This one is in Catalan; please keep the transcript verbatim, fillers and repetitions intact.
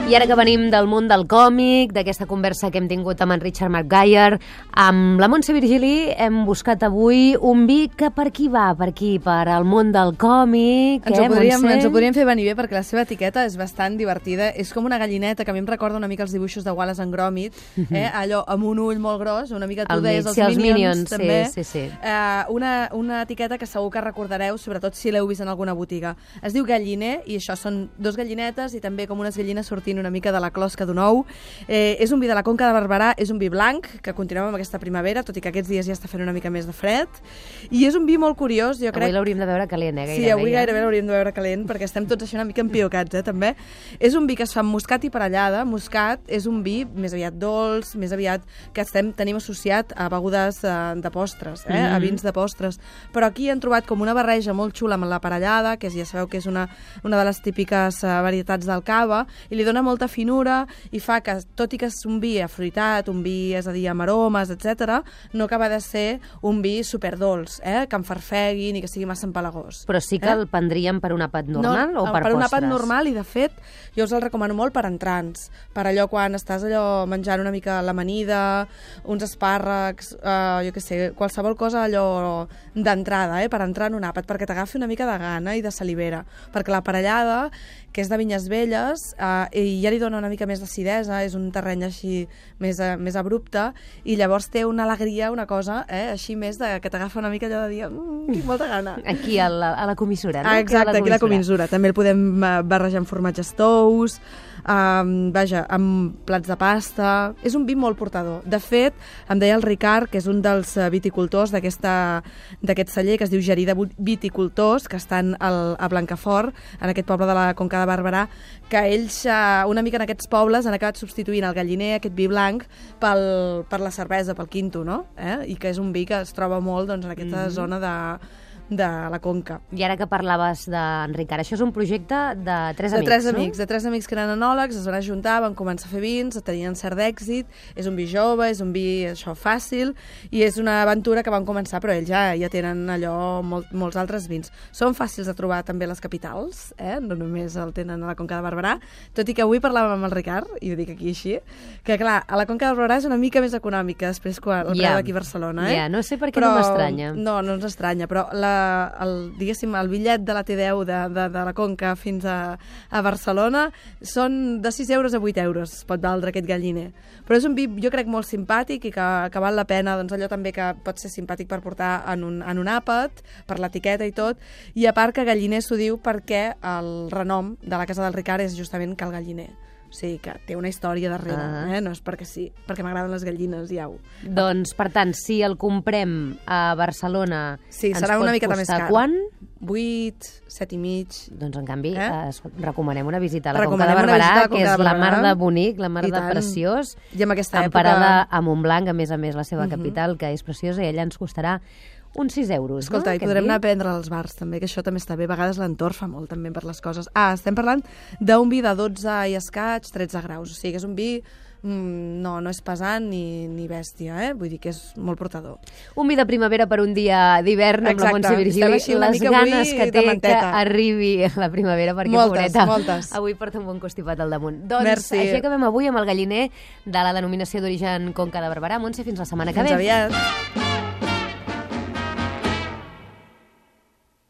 I ara que venim del món del còmic, d'aquesta conversa que hem tingut amb en Richard McGuire, amb la Montse Virgili hem buscat avui un vi que per qui va? Per aquí, per al món del còmic, ens eh, ho podríem, Montse? Ens ho podríem fer venir bé perquè la seva etiqueta és bastant divertida. És com una gallineta que a mi em recorda una mica els dibuixos de Wallace and Gromit, eh? Allò amb un ull molt gros, una mica tu El deies mig, els sí, els Minions, Minions, també. sí, sí, sí. Eh, una, una etiqueta que segur que recordareu, sobretot si l'heu vist en alguna botiga. Es diu galliner i això són dos gallinetes i també com unes gallines sortint una mica de la closca d'un ou. Eh, és un vi de la Conca de Barberà, és un vi blanc, que continuem amb aquesta primavera, tot i que aquests dies ja està fent una mica més de fred. I és un vi molt curiós, jo crec... Avui l'hauríem de veure calent, eh? Gairebé, sí, avui ja. gairebé l'hauríem de veure calent, perquè estem tots així una mica empiocats, eh, també. És un vi que es fa amb moscat i parellada. Moscat és un vi més aviat dolç, més aviat que estem, tenim associat a begudes eh, de postres, eh, mm-hmm. a vins de postres. Però aquí han trobat com una barreja molt xula amb la parellada, que ja sabeu que és una, una de les típiques eh, varietats del cava, i li dona molta finura i fa que, tot i que és un vi afruitat, un vi, és a dir, amb aromes, etcètera, no acaba de ser un vi superdolç, eh, que enfarfegui ni que sigui massa empalagós. Però sí que eh? el prendríem per un àpat normal no, o per, per un postres? àpat normal, i de fet jo us el recomano molt per entrants, per allò quan estàs allò menjant una mica l'amanida, uns espàrrecs, eh, jo què sé, qualsevol cosa allò d'entrada, eh, per entrar en un àpat, perquè t'agafi una mica de gana i de salivera, perquè la parellada, que és de vinyes velles, eh, i ja li dona una mica més d'acidesa, és un terreny així més, eh, més abrupte, i llavors té una alegria, una cosa, eh, així més de, que t'agafa una mica allò de dir mmm, tinc molta gana. Aquí, a la, a la comissura, no? Ah, exacte, aquí a la comissura. comissura. També el podem barrejar amb formatges tous, um, vaja, amb plats de pasta. És un vi molt portador. De fet, em deia el Ricard, que és un dels viticultors d'aquest celler, que es diu Gerida Viticultors, que estan al, a Blancafort, en aquest poble de la Conca de Barberà, que ells, uh, una mica en aquests pobles, han acabat substituint el galliner, aquest vi blanc, pel, per la cervesa, pel quinto, no? Eh? I que és un vi que es troba molt doncs, en aquesta mm-hmm. zona de... de la Conca. I ara que parlaves d'en Ricard, això és un projecte de tres de amics, tres no? amics, de tres amics que eren enòlegs, es van ajuntar, van començar a fer vins, tenien cert d'èxit, és un vi jove, és un vi això fàcil, i és una aventura que van començar, però ells ja, ja tenen allò molt, molts altres vins. Són fàcils de trobar també a les capitals, eh? No només el tenen a la Conca de Barberà, tot i que avui parlàvem amb el Ricard, i ho dic aquí així, que clar, a la Conca de Barberà és una mica més econòmica després quan el yeah. preu aquí a Barcelona, eh? Yeah, no sé per què però, no m'estranya. No, no ens estranya, però la El, diguéssim, el bitllet de la T deu de, de, de la Conca fins a, a Barcelona són de sis euros a vuit euros, pot valdre aquest galliner. Però és un vi, jo crec, molt simpàtic i que, que val la pena, doncs allò també que pot ser simpàtic per portar en un, en un àpat, per l'etiqueta i tot, i a part que galliner s'ho diu perquè el renom de la casa del Ricard és justament Cal Galliner. O sigui que té una història darrere, ah. eh? No és perquè sí, perquè m'agraden les gallines, ja ho... Doncs, per tant, si el comprem a Barcelona, sí, ens serà pot una miqueta més costar car. Quan? vuit, set i mig... Doncs, en canvi, eh? eh, recomanem una visita a la recomanem Conca de Barberà, que és la mar de bonic, la mar de preciós, i amb aquesta emparada època... a Montblanc, a més a més, la seva uh-huh. capital, que és preciosa, i allà ens costarà uns sis euros. Escolta, no? i podrem anar a prendre als bars, també, que això també està bé. A vegades l'entorn fa molt, també, per les coses. Ah, estem parlant d'un vi de dotze i escaig, tretze graus. O sigui, que és un vi... Mm, no, no és pesant ni, ni bèstia, eh? Vull dir que és molt portador. Un vi de primavera per un dia d'hivern amb la Montse Virgili. Les ganes que té que arribi la primavera, perquè, moltes, pobreta, moltes. avui porta un bon constipat al damunt. Doncs Merci. Així acabem avui amb el galliner de la denominació d'origen Conca de Barberà. Montse, fins la setmana que ve. Fins aviat.